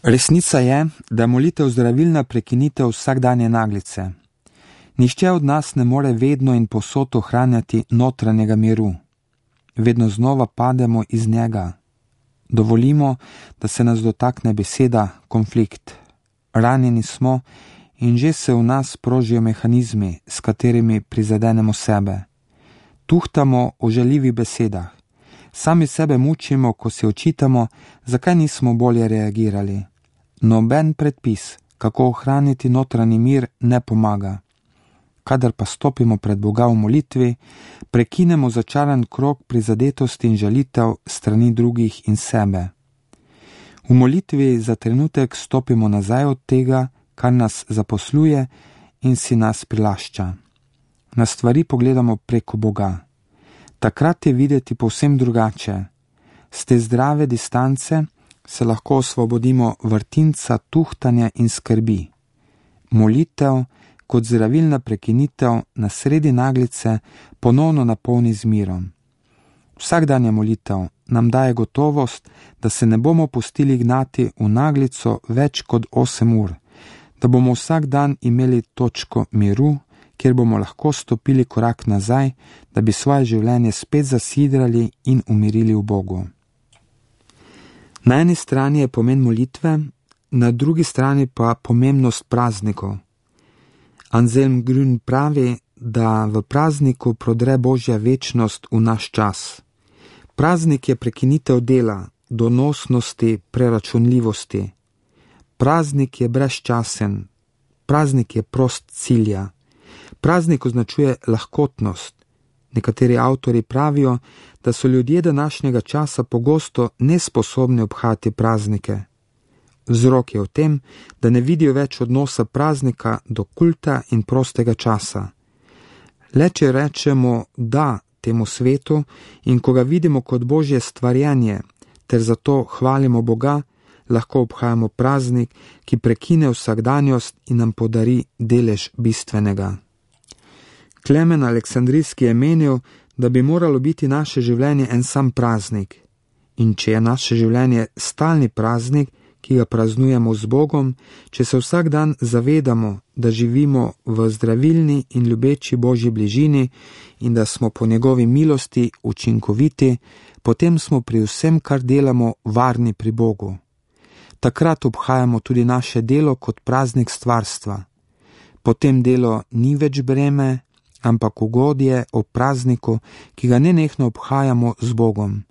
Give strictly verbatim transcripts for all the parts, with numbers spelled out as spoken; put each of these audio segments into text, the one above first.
Resnica je, da je molitev zdravilna prekinitev vsakdanje naglice. Nihče od nas ne more vedno in povsod ohranjati notranjega miru. Vedno znova pademo iz njega. Dovolimo, da se nas dotakne beseda konflikt. Ranjeni smo in že se v nas prožijo mehanizmi, s katerimi prizadenemo sebe. Tuhtamo o žaljivih besedah. Sami sebe mučimo, ko se očitamo, zakaj nismo bolje reagirali. Noben predpis, kako ohraniti notranji mir, ne pomaga. Kadar pa stopimo pred Boga v molitvi, prekinemo začaran krog prizadetosti in žalitev strani drugih in sebe. V molitvi za trenutek stopimo nazaj od tega, kar nas zaposluje in si nas prilašča. Na stvari pogledamo preko Boga. Takrat je videti povsem drugače. Z te zdrave distance se lahko osvobodimo vrtinca tuhtanja in skrbi. Molitev kot zdravilna prekinitev na sredi naglice ponovno napolni z mirom. Vsakdanja molitev nam daje gotovost, da se ne bomo pustili gnati v naglico več kot osem ur, da bomo vsak dan imeli točko miru, kjer bomo lahko stopili korak nazaj, da bi svoje življenje spet zasidrali in umirili v Bogu. Na eni strani je pomen molitve, na drugi strani pa pomembnost praznikov. Anselm Grün pravi, da v prazniku prodre Božja večnost v naš čas. Praznik je prekinitev dela, donosnosti, preračunljivosti. Praznik je brezčasen, praznik je prost cilja. Praznik označuje lahkotnost. Nekateri avtori pravijo, da so ljudje današnjega časa pogosto nesposobni obhajati praznike. Vzrok je v tem, da ne vidijo več odnosa praznika do kulta in prostega časa. Le če rečemo da temu svetu in ko ga vidimo kot Božje stvarjenje, ter zato hvalimo Boga, lahko obhajamo praznik, ki prekine vsakdanjost in nam podari delež bistvenega. Klemen Aleksandrijski je menil, da bi moralo biti naše življenje en sam praznik. In če je naše življenje stalni praznik, ki ga praznujemo z Bogom, če se vsak dan zavedamo, da živimo v zdravilni in ljubeči Božji bližini in da smo po njegovi milosti učinkoviti, potem smo pri vsem, kar delamo, varni pri Bogu. Takrat obhajamo tudi naše delo kot praznik stvarstva. Potem delo ni več breme, ampak ugodje ob prazniku, ki ga nenehno obhajamo z Bogom.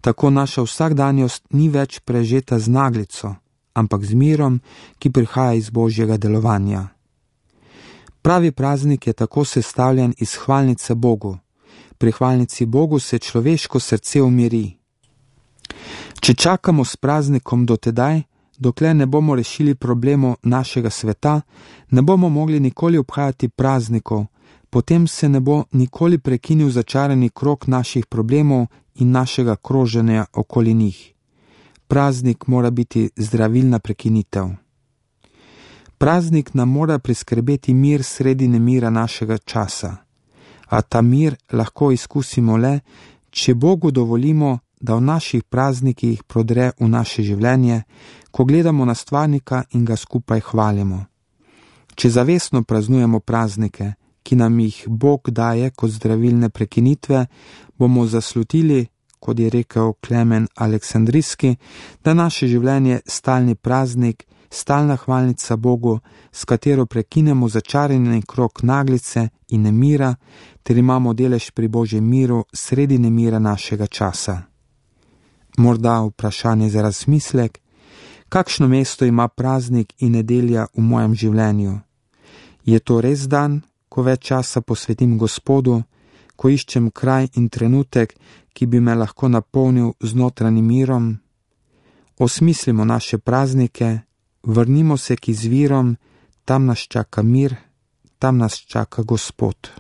Tako naša vsakdanjost ni več prežeta z naglico, ampak z mirom, ki prihaja iz Božjega delovanja. Pravi praznik je tako sestavljen iz hvalnice Bogu. Pri hvalnici Bogu se človeško srce umiri. Če čakamo s praznikom do tedaj, dokler ne bomo rešili problemov našega sveta, ne bomo mogli nikoli obhajati praznikov, potem se ne bo nikoli prekinil začarani krog naših problemov in našega kroženja okoli njih. Praznik mora biti zdravilna prekinitev. Praznik nam mora priskrbeti mir sredi nemira našega časa, a ta mir lahko izkusimo le, če Bogu dovolimo, da v naših praznikih prodre v naše življenje, ko gledamo na stvarnika in ga skupaj hvalimo. Če zavestno praznujemo praznike, ki nam jih Bog daje kot zdravilne prekinitve, bomo zaslutili, kot je rekel Klemen Aleksandrijski, da naše življenje stalni praznik, stalna hvalnica Bogu, s katero prekinemo začarani krog naglice in nemira, ter imamo delež pri Božjem miru sredi nemira našega časa. Morda vprašanje za razmislek, kakšno mesto ima praznik in nedelja v mojem življenju? Je to res dan, ko več časa posvetim Gospodu, ko iščem kraj in trenutek, ki bi me lahko napolnil z notranjim mirom? Osmislimo naše praznike, vrnimo se k izvirom, tam nas čaka mir, tam nas čaka Gospod.